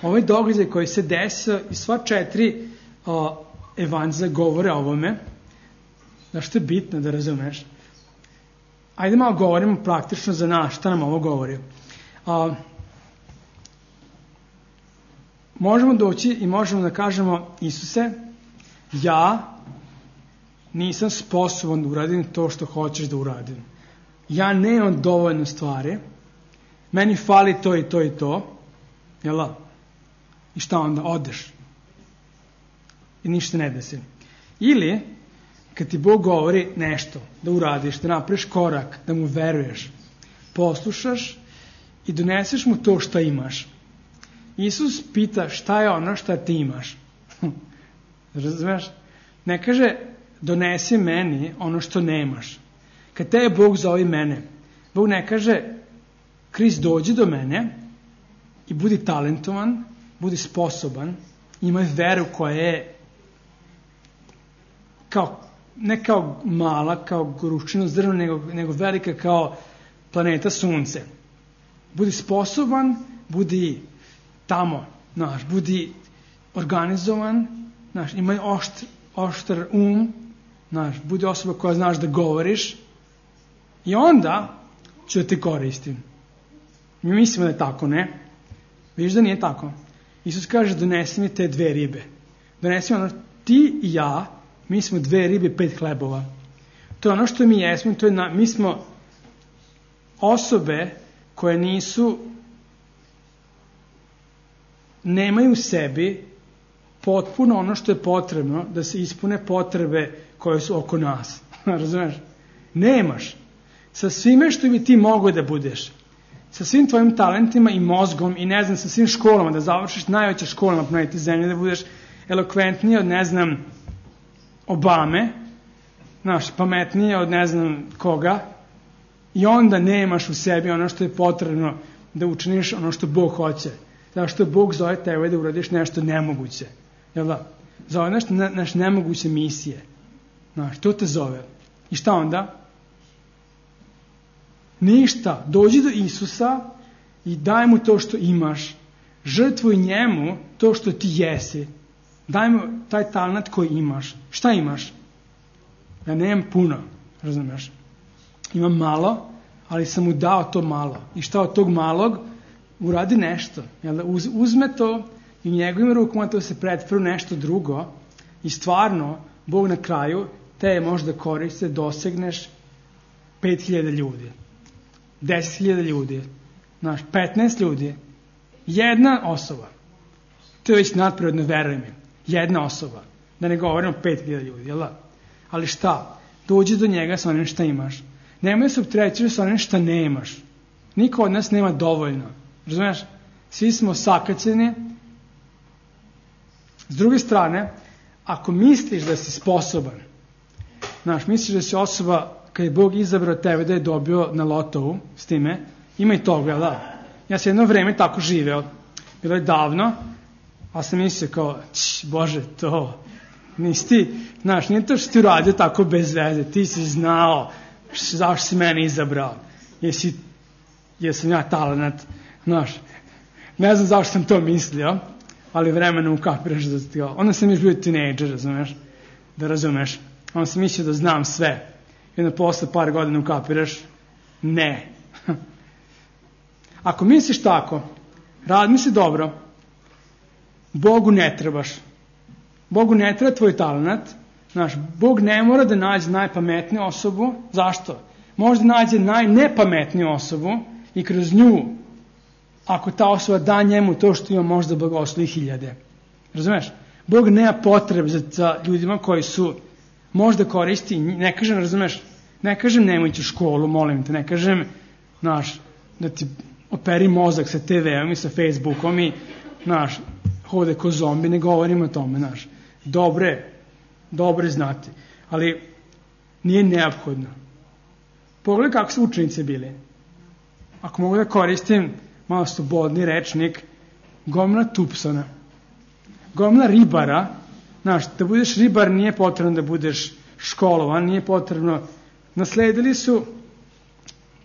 Ovaj događaj koji se desio i sva 4 evanđelja govore o ovome. Znaš što je bitno da razumeš? Ajde malo govorimo praktično za nas, šta nam ovo govori. Možemo doći i možemo da kažemo, Isuse, ja nisam sposoban da uradim to što hoćeš da uradim. Ja nemam dovoljno stvari, meni fali to i to i to, jel? I šta onda? Odeš. I ništa ne desi. Ili, kad ti Bog govori nešto, da uradiš, da napraviš korak, da mu veruješ, poslušaš i doneseš mu to što imaš. Isus pita šta je ono što ti imaš. Razumeš? Ne kaže, donesi meni ono što nemaš. Kad te je Bog zove mene, Bog ne kaže, Krist dođi do mene i budi talentovan, budi sposoban, imaj veru koja je ne kao mala, kao gruščino zrno, nego velika kao planeta Sunce. Budi sposoban, budi tamo, budi organizovan, imaj oštar budi osoba koja znaš da govoriš i onda ću da te koristim. Mi mislimo da je tako, ne? Vidiš da nije tako. Isus kaže, donesi mi te 2 ribe. Donesi mi ti i ja, mi smo 2 ribe, 5 hlebova. To je ono što mi jesmo, mi smo osobe koje nemaju u sebi potpuno ono što je potrebno da se ispune potrebe koje su oko nas. Razumeš? Nemaš. Sa svime što bi ti mogao da budeš. Sa svim tvojim talentima i mozgom i ne znam, sa svim školama, da završiš najveće škole na planeti Zemlje, da budeš elokventniji od ne znam Obame, pametniji od ne znam koga, i onda nemaš u sebi ono što je potrebno da učiniš ono što Bog hoće. Zato što Bog zove tebe da uradiš nešto nemoguće. Jel da? Zove nešto nemoguće misije. To te zove. I šta onda? Ništa. Dođi do Isusa i daj mu to što imaš. Žrtvuj njemu to što ti jesi. Daj mu taj talent koji imaš. Šta imaš? Ja nemam puno. Razumiješ? Imam malo, ali sam mu dao to malo. I šta od tog malog? Uradi nešto. Uzme to i njegovim rukama to se pretvori u nešto drugo i stvarno Bog na kraju te možda koriste, dosegneš 5000 ljudi, 10.000 ljudi, 15 ljudi, jedna osoba. To je već nadprirodno, veruj mi. Jedna osoba. Da ne govorimo 5000 ljudi, jel da? Ali šta? Dođi do njega sa onim šta imaš. Nemoj se opterećivati sa onim šta nemaš. Niko od nas nema dovoljno. Razumiješ? Svi smo sakaćeni. S druge strane, ako misliš da si sposoban, misliš da si osoba, kad je Bog izabrao tebe da je dobio na lotovu s time, Ima i toga, da. Ja sam jedno vreme tako živeo. Bilo je davno, a sam mislio kao, Bože, to, nisi ti, znaš, nije to što ti uradio tako bez veze, ti si znao zašto si mene izabrao, jesam ja talenat, znaš, ne znam zašto sam to mislio, ali vremenom ukapiraš da ti, onda sam još bio tinejdžer, razumeš, onda sam mislio da znam sve, i onda posle par godina ukapiraš, ne. Ako misliš tako, razmisli dobro, Bogu ne trebaš. Bogu ne treba tvoj talenat. Znaš, Bog ne mora da nađe najpametniju osobu. Zašto? Možda nađe najnepametniju osobu i kroz nju, ako ta osoba da njemu to što ima, možda blagoslovi hiljade. Razumeš? Bog nema potrebe za ljudima koji su možda koristi, ne kažem, razumeš, ne kažem nemoj ići u školu, molim te, ne kažem, znaš, da ti operi mozak sa TV-om i sa Facebookom i, znaš, hode ko zombi, ne govorim o tome, znaš. Dobre znati, ali nije neophodno. Pogledaj kako su učenici bili. Ako mogu da koristim malo slobodni rečnik, gomila Tupsona, gomila ribara, znaš, da budeš ribar nije potrebno da budeš školovan, nije potrebno, nasledili su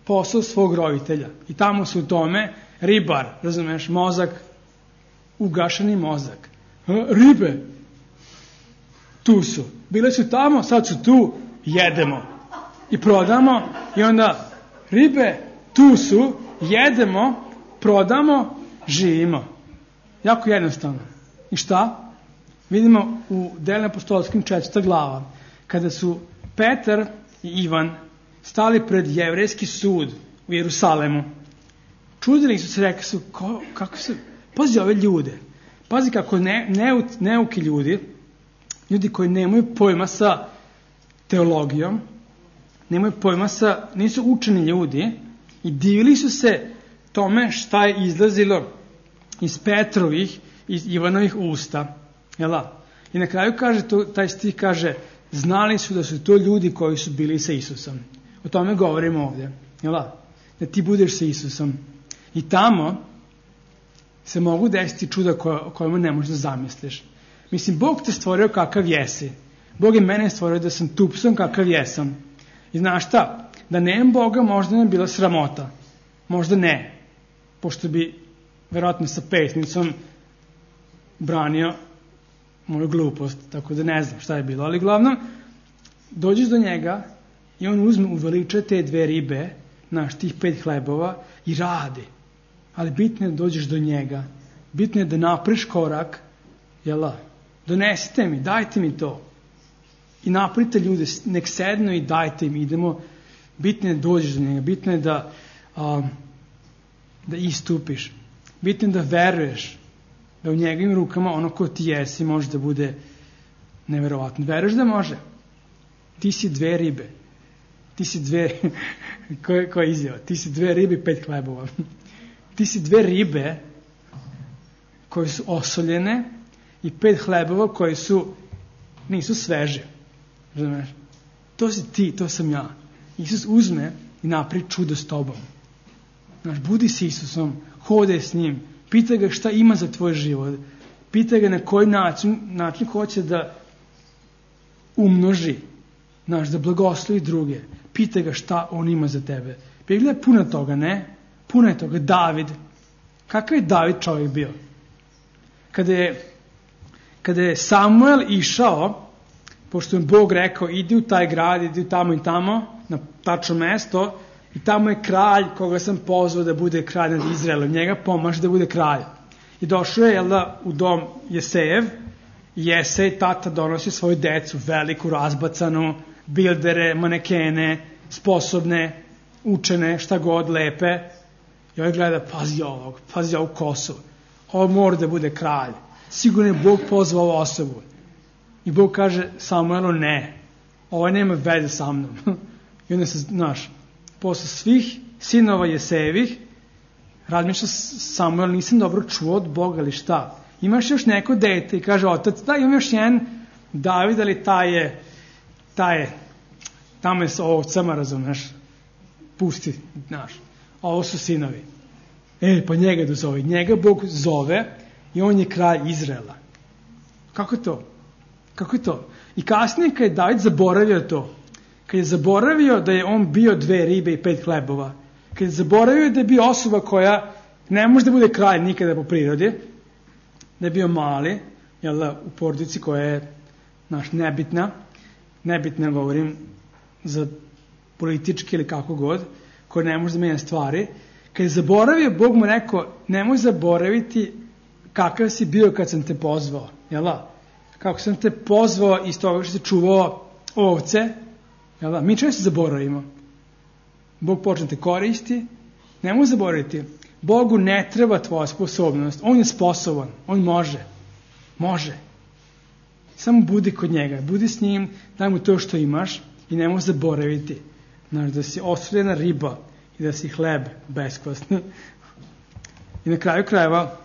posao svog roditelja i tamo su u tome ribar, razumeš, mozak, ugašeni mozak. Ribe, tu su. Bile su tamo, sad su tu, jedemo. I prodamo, i onda ribe, tu su, jedemo, prodamo, živimo. Jako jednostavno. I šta? Vidimo u Delima apostolskim 4. glava, kada su Petar i Ivan stali pred jevrejski sud u Jerusalemu, čudili su se, rekli su, kako se, pazi ove ljude, pazi kako neuki ljudi koji nemaju pojma sa teologijom, nemaju pojma nisu učeni ljudi i divili su se tome šta je izlazilo iz Petrovih, iz Ivanovih usta. Jela? I na kraju kaže, taj stih kaže, znali su da su to ljudi koji su bili sa Isusom. O tome govorimo ovdje. Jela? Da ti budeš sa Isusom. I tamo se mogu desiti čuda kojima ne možeš da zamisliš. Mislim, Bog te stvorio kakav jesi. Bog je mene stvorio da sam Tupson kakav jesam. I znaš šta? Da nemam Boga možda ne bi bila sramota. Možda ne. Pošto bi verovatno sa pesnicom branio moju glupost. Tako da ne znam šta je bilo. Ali glavno, dođeš do njega i on uveliča te 2 ribe, tih 5 hlebova i radi. Ali bitno je da dođeš do njega. Bitno je da napriš korak. Jela? Donesite mi, dajte mi to. I naprite ljude, nek sednu i dajte im, idemo. Bitno je da dođeš do njega, bitno je da istupiš. Bitno je da veruješ, da u njegovim rukama ono ko ti jesi može da bude neverovatno. Veruješ da može? Ti si 2 ribe. Ti si 2, koja je izjava? Ti si 2 ribe i 5 hlebova. Ti si 2 ribe koje su osoljene i 5 hlebova koji nisu sveže. Razumeš? To si ti, to sam ja. Isus uzme i napravi čudo s tobom. Znaš, budi s Isusom, hodaj s njim, pitaj ga šta ima za tvoj život, pitaj ga na koji način hoće da umnoži, znaš, da blagoslovi druge, pitaj ga šta on ima za tebe. Biblija je puna toga, ne? Puno je toga. David. Kakav je David čovjek bio? Kada je Samuel išao, pošto je Bog rekao, idi u taj grad, idi tamo i tamo, na tačno mesto, i tamo je kralj koga sam pozvao da bude kralj nad Izraelom. Njega pomaže da bude kralj. I došao je, u dom Jesejev, i Jesej, tata, donosi svoju decu, veliku, razbacanu, bildere, manekene, sposobne, učene, šta god, lepe. I ovaj gleda, pazi ovu kosu. Ovo mora da bude kralj. Sigurno je Bog pozvao ovu osobu. I Bog kaže Samuelu, ne, ovo nema veze sa mnom. I onda se, posle svih sinova Jesejevih, razmišlja Samuel, nisam dobro čuo od Boga, ali šta? Imaš još neko dete? I kaže otac, da, imam još jedan David, ali taj je, tamo je sa ovcama, razumeš, pusti, a ovo su sinovi. Pa njega da zove. Njega Bog zove i on je kralj Izraela. Kako je to? Kako je to? I kasnije kad je David zaboravio to, kad je zaboravio da je on bio 2 ribe i 5 hlebova, kad je zaboravio da je bio osoba koja ne može da bude kralj nikada po prirodi, da je bio mali, u porodici koja je nebitna govorim za politički ili kako god, koja ne može da menja stvari, kad je zaboravio, Bog mu rekao, nemoj zaboraviti kakav si bio kad sam te pozvao, kako sam te pozvao iz toga što si čuvao ovce, mi često zaboravimo. Bog počne te koristi, nemoj zaboraviti, Bogu ne treba tvoja sposobnost, on je sposoban, on može. Samo budi kod njega, budi s njim, daj mu to što imaš i nemoj zaboraviti, da si osuljena riba i da si hleb beskvasni. I na kraju krajeva,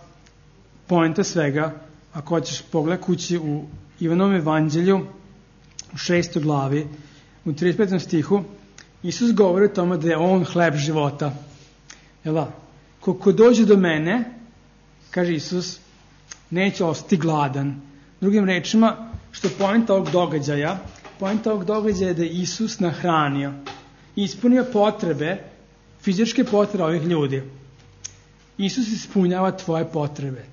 poenta svega, ako hoćeš pogled kući u Ivanovom evanđelju, u 6. glavi, u 35. stihu, Isus govori o tome da je on hleb života. Ko dođe do mene, kaže Isus, neće ostati gladan. Drugim rečima, što je poenta ovog događaja je da je Isus nahranio, ispunio potrebe, fizičke potrebe ovih ljudi. Isus ispunjava tvoje potrebe.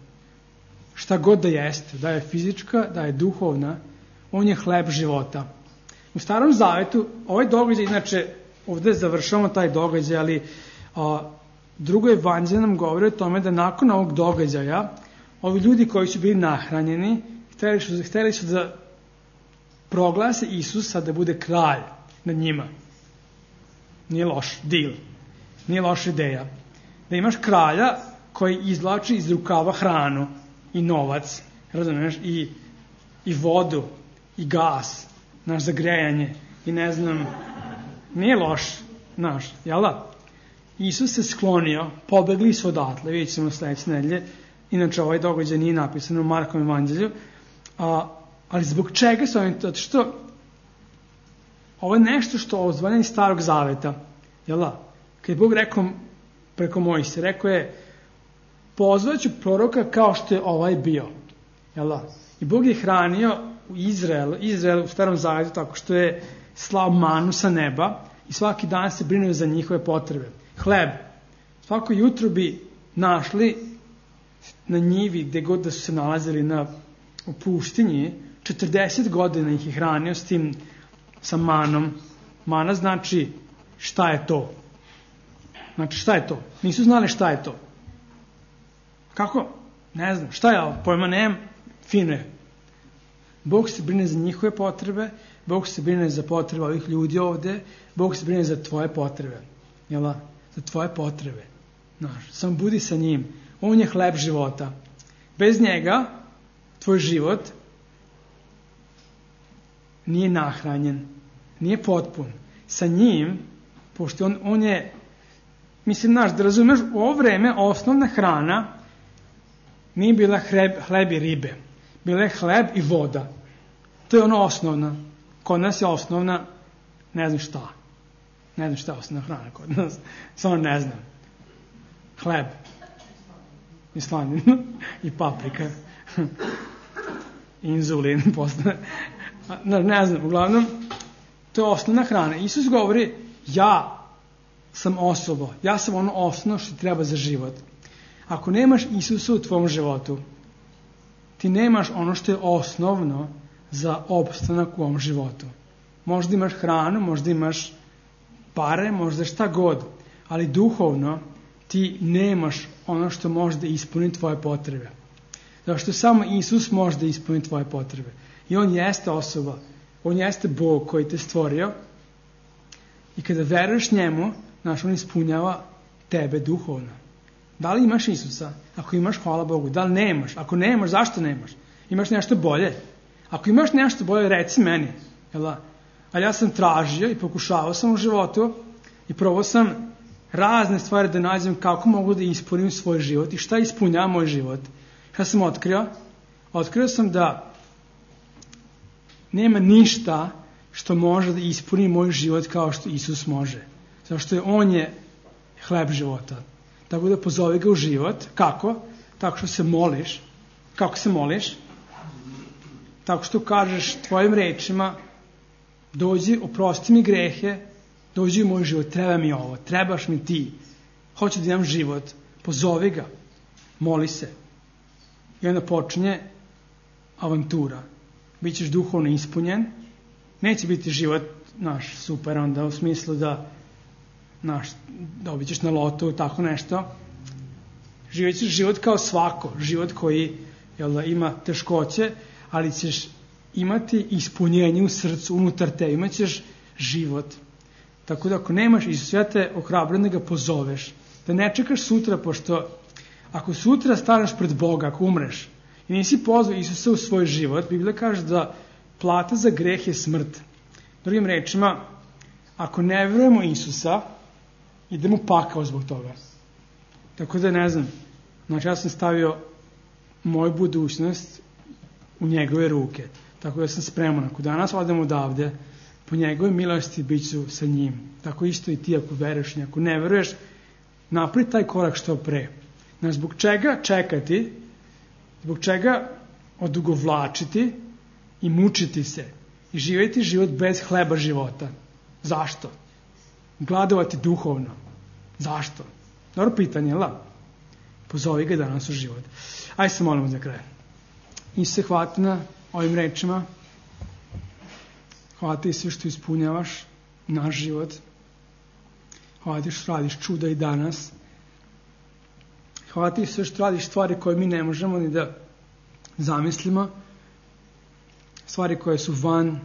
Šta god da jeste, da je fizička, da je duhovna, on je hleb života. U Starom Zavetu, ovaj događaj, inače, ovdje završavamo taj događaj, ali drugo evanđelje nam govori o tome da nakon ovog događaja, ovi ljudi koji su bili nahranjeni, hteli su da proglase Isusa da bude kralj nad njima. Nije loš deal, nije loša ideja. Da imaš kralja koji izvlači iz rukava hranu i novac, razumiješ, i vodu, i gas, za grejanje, i ne znam, nije loš, jel da? Isus se sklonio, pobegli su odatle, vidjet ćemo sledeće nedelje, inače ovaj događaj nije napisan u Markovom evanđelju, ali zbog čega su oni to? Što ovo je nešto što ozvanja iz Starog Zaveta, jel da? Kad je Bog rekao preko Mojsija, rekao je, pozvaću proroka kao što je ovaj bio, jel da? I Bog je hranio u Izraelu u Starom Zavetu tako što je slao manu sa neba i svaki dan se brinuo za njihove potrebe. Hleb. Svako jutro bi našli na njivi gde god da su se nalazili u pustinji, 40 godina ih je hranio s tim, sa manom. Mana znači šta je to. Znači šta je to? Nisu znali šta je to. Kako? Ne znam. Šta je ovo? Pojma nemam. Fino je. Bog se brine za njihove potrebe, Bog se brine za potrebe ovih ljudi ovde, Bog se brine za tvoje potrebe. Jel? Za tvoje potrebe. Samo budi sa njim. On je hleb života. Bez njega tvoj život nije nahranjen, nije potpun. Sa njim, pošto on je, mislim, da razumeš, u ovo vreme osnovna hrana nije bila hleb i ribe. Bila je hleb i voda. To je ono osnovna. Kod nas je osnovna, ne znam šta. Ne znam šta je osnovna hrana kod nas. Samo ne znam. Hleb. I slanina. I paprika. Inzulin. Ne znam, uglavnom, to je osnovna hrana. Isus govori, ja sam osoba. Ja sam ono osnovno što ti treba za život. Ako nemaš Isusa u tvom životu, ti nemaš ono što je osnovno za opstanak u ovom životu. Možda imaš hranu, možda imaš pare, možda šta god, ali duhovno ti nemaš ono što može da ispuni tvoje potrebe. Zato što samo Isus može da ispuni tvoje potrebe. I on jeste osoba, on jeste Bog koji te stvorio i kada veruješ njemu, on ispunjava tebe duhovno. Da li imaš Isusa? Ako imaš, hvala Bogu. Da li nemaš? Ako nemaš, zašto nemaš? Imaš nešto bolje? Ako imaš nešto bolje, reci meni. Ali ja sam tražio i pokušavao sam u životu i probao sam razne stvari da nađem kako mogu da ispunim svoj život i šta ispunjava moj život. Šta sam otkrio? Otkrio sam da nema ništa što može da ispuni moj život kao što Isus može. Zato što on je hleb života. Tako da pozovi ga u život. Kako? Tako što se moliš. Kako se moliš? Tako što kažeš tvojim rečima, dođi, oprosti mi grehe, dođi u moj život, treba mi ovo, trebaš mi ti, hoću da imam život, pozovi ga, moli se. I onda počinje avantura. Bićeš duhovno ispunjen, neće biti život naš super, onda u smislu da dobit ćeš na lotu, tako nešto. Živjet ćeš život kao svako, život koji ima teškoće, ali ćeš imati ispunjenje u srcu, unutar te, imat ćeš život. Tako da ako nemaš Isusa, ja te ohrabrujem da ga pozoveš, da ne čekaš sutra, pošto ako sutra staneš pred Boga, ako umreš i nisi pozvao Isusa u svoj život, Biblija kaže da plata za greh je smrt. Drugim rečima, ako ne verujemo Isusa, idemo u pakao zbog toga. Tako da ne znam, znači ja sam stavio moju budućnost u njegove ruke. Tako da sam spreman. Ako danas odem odavde, po njegove milosti bit ću sa njim. Tako isto i ti ako veruješ i ako ne veruješ, napravi taj korak što pre. Znači, zbog čega čekati, zbog čega odugovlačiti i mučiti se i živjeti život bez hleba života. Zašto? Gladovati duhovno. Zašto? Dobro pitanje, la? Pozovi ga danas u život. Ajde se molimo za kraj. Isuse, hvala ti na ovim rečima. Hvala ti sve što ispunjavaš naš život. Hvala ti što radiš čuda i danas. Hvala ti sve što radiš stvari koje mi ne možemo ni da zamislimo. Stvari koje su van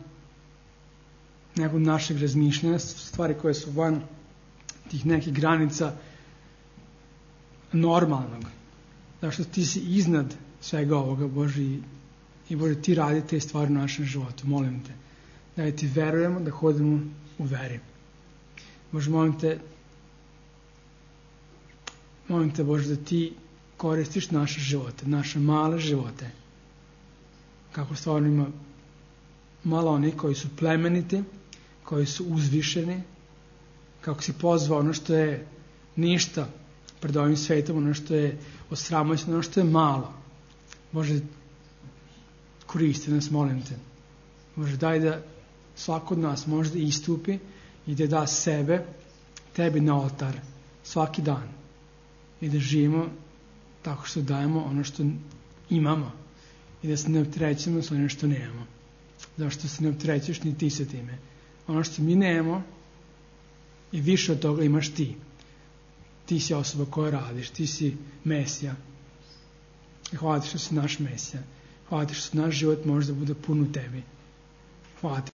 nekog našeg razmišljanja, stvari koje su van tih nekih granica normalnog. Zašto ti si iznad svega ovoga, Bože, i Bože, ti radi te stvari u našem životu. Molim te da ti verujemo, da hodimo u veri. Bože, molim te, Bože, da ti koristiš naše živote, naše male živote. Kako stvarno ima malo onih koji su plemeniti, koji su uzvišeni, kako si pozvao ono što je ništa pred ovim svetom, ono što je osramoćeno, ono što je malo. Bože, koristi nas, molim te. Bože, daj da svako od nas može da istupi i da da sebe tebi na oltar svaki dan i da živimo tako što dajemo ono što imamo i da se ne opterećujemo s onim što nemamo. Zašto se ne opterećuješ ni ti sa time? Ono što mi nemamo i više od toga imaš ti. Ti si osoba koja radiš, ti si Mesija. I hvala ti što si naš Mesija. Hvala ti što naš život može da bude pun u tebi. Hvala ti.